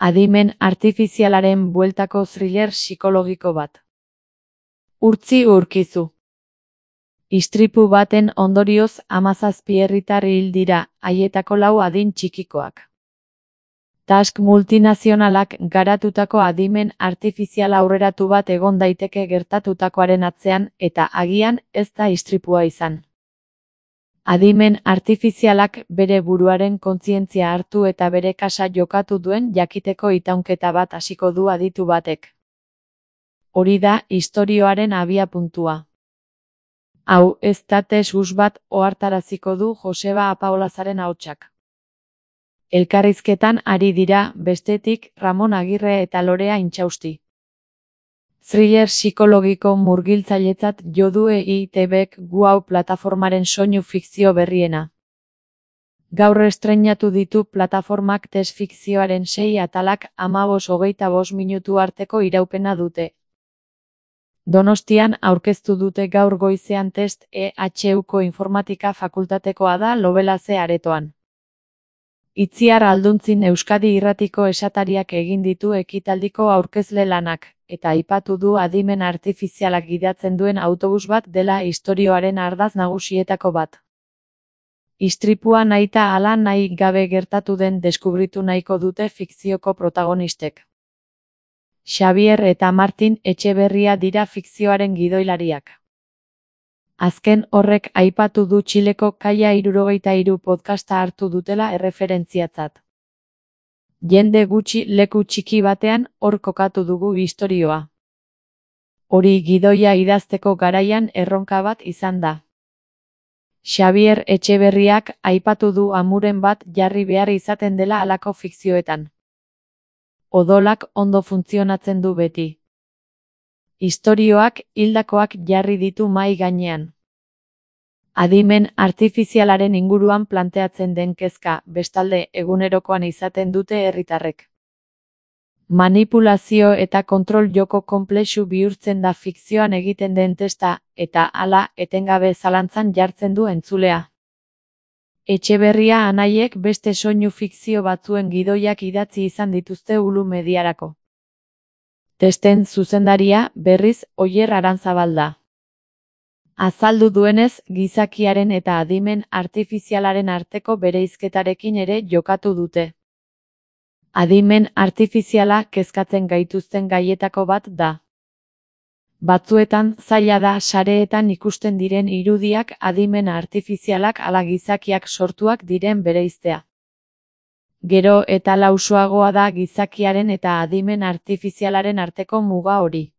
Adimen artifizialaren bueltako thriller psikologiko bat. Urtzi urkizu. Istripu baten ondorioz 17 herritar hil dira, haietako 4 adin txikikoak. Task multinazionalak garatutako adimen artifizial aurreratu bat egon daiteke gertatutakoaren atzean eta agian ez da istripua izan. Adimen artifizialak bere buruaren kontzientzia hartu eta bere kasa jokatu duen jakiteko itaunketa bat hasiko du aditu batek. Hori da istorioaren abiapuntua. Hau ez da tesus bat ohartaraziko du Joseba Apaolazaren ahotsak. Elkarrizketan ari dira, bestetik, Ramon Agirre eta Lorea Intxausti. Thriller psikologiko murgiltzailetzat jo du EITBek Gu Hau plataformaren soinu fikzio berriena. Gaur estreinatu ditu plataformak test fikzioaren 6 atalak 15-25 minutu arteko iraupena dute. Donostian aurkeztu dute gaur goizean test EHUko informatika fakultatekoa da Lobelaze aretoan. Itziar Alduntzin Euskadi Irratiko esatariak egin ditu ekitaldiko aurkezle lanak, eta aipatu du adimen artifizialak gidatzen duen autobus bat dela istorioaren ardatz nagusietako bat. Istripua nahita hala nahi gabe gertatu den deskubritu nahiko dute fikzioko protagonistek. Xabier eta Martin Etxeberria dira fikzioaren gidoilariak. Azken horrek aipatu du Txileko Kaia 73 podcasta hartu dutela erreferentziatzat. Jende gutxi leku txiki batean hor kokatu dugu istorioa. Hori gidoia idazteko garaian erronka bat izan da. Xabier Etxeberriak aipatu du amuren bat jarri behar izaten dela halako fikzioetan. Odolak ondo funtzionatzen du beti. Istorioak hildakoak jarri ditu mahai gainean. Adimen artifizialaren inguruan planteatzen den kezka, bestalde egunerokoan izaten dute herritarrek. Manipulazio eta kontrol joko konplexu bihurtzen da fikzioan egiten den testa, eta hala etengabe zalantzan jartzen du entzulea. Etxeberria anaiek beste soinu fikzio batzuen gidoiak idatzi izan dituzte Ulu Mediarako. Testen zuzendaria, berriz, Oier Aranzabal da. Azaldu duenez, gizakiaren eta adimen artifizialaren arteko bereizketarekin ere jokatu dute. Adimen artifiziala kezkatzen gaituzten gaietako bat da. Batzuetan zaila da sareetan ikusten diren irudiak adimen artifizialak ala gizakiak sortuak diren bereiztea. Gero eta lausoagoa da gizakiaren eta adimen artifizialaren arteko muga hori.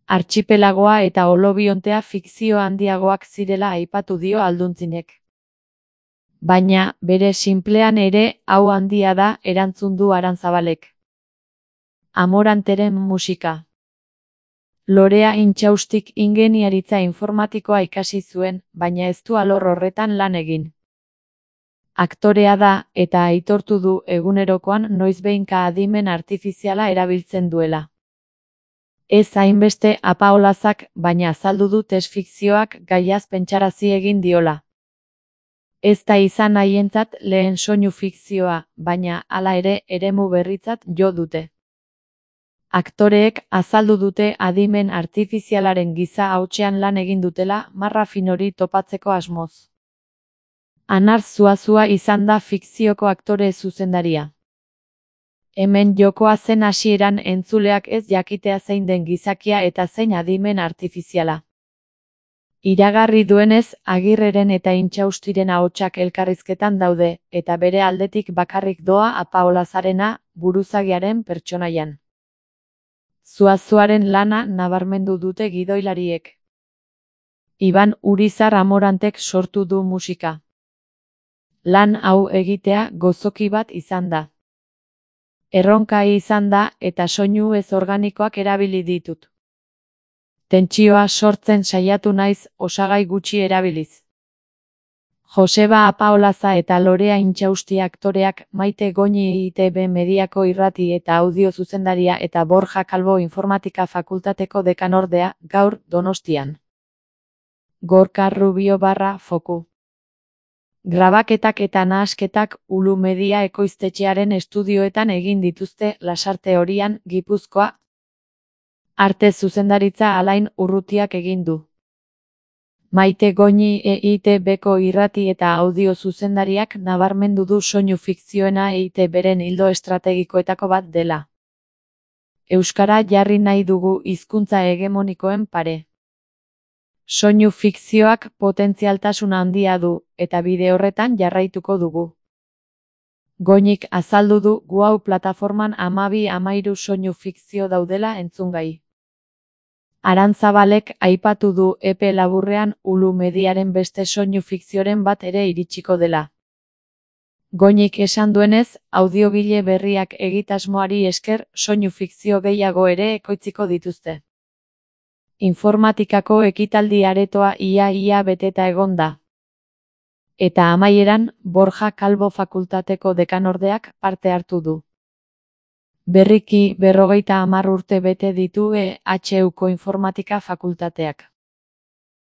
Artxipelagoa eta Olobiontea fikzio handiagoak zirela aipatu dio Alduntzinek. Baina, bere sinplean ere, hau handia da, erantzun du Aranzabalek. Amoranteren musika. Lorea Intxaustik ingeniaritza informatikoa ikasi zuen, baina ez du alor horretan lan egin. Aktorea da, eta aitortu du egunerokoan noizbehinka adimen artifiziala erabiltzen duela. Ez hainbeste Apaolazak, baina azaldu du test fikzioak gaiaz pentsarazi egin diola. Ez da izan haientzat lehen soinu fikzioa, baina hala ere eremu berritzat jo dute. Aktoreek azaldu dute adimen artifizialaren giza hautsean lan egin dutela marra finori topatzeko asmoz. Anar Zuazua izan da fikzioko aktore zuzendaria. Hemen jokoa zen hasieran entzuleak ez jakitea zein den gizakia eta zein adimen artifiziala. Iragarri duenez, Agirreren eta Intxaustiren ahotsak elkarrizketan daude, eta bere aldetik bakarrik doa Apaolazarena, buruzagiaren pertsonaian. Zuazuaren lana nabarmendu dute gidoilariek. Iban Urizar Amorantek sortu du musika. Lan hau egitea gozoki bat izan da. Erronka izan da eta soinu ez organikoak erabili ditut. Tentsioa sortzen saiatu naiz osagai gutxi erabiliz. Joseba Apaolaza eta Lorea Intxausti aktoreak, Maite Goñi EITB Mediako irrati eta audio zuzendaria eta Borja Calvo informatika fakultateko dekanordea, gaur Donostian. Gorka Rubio /Foku Grabaketak eta nahasketak Ulu Media ekoiztetxearen estudioetan egin dituzte Lasarte Horian, Gipuzkoa. Arte zuzendaritza Alain Urrutiak egin du. Maite Goñi EITB-ko irrati eta audio zuzendariak nabarmendu du soinu fikzioena EITB-ren ildo estrategikoetako bat dela. Euskara jarri nahi dugu hizkuntza hegemonikoen pare. Soinu fikzioak potentzialtasun handia du, eta bide horretan jarraituko dugu. Goñik azaldu du Guau plataforman 12-13 soinu fikzio daudela entzungai. Arantzabalek aipatu du epe laburrean Ulu Mediaren beste soinu fikzioren bat ere iritsiko dela. Goñik esan duenez, audiogile berriak egitasmoari esker soinu fikzio gehiago ere ekoitziko dituzte. Informatikako ekitaldi aretoa ia beteta egon da. Eta amaieran, Borja Calvo fakultateko dekanordeak parte hartu du. Berriki 50 urte bete ditu EHUko informatika fakultateak.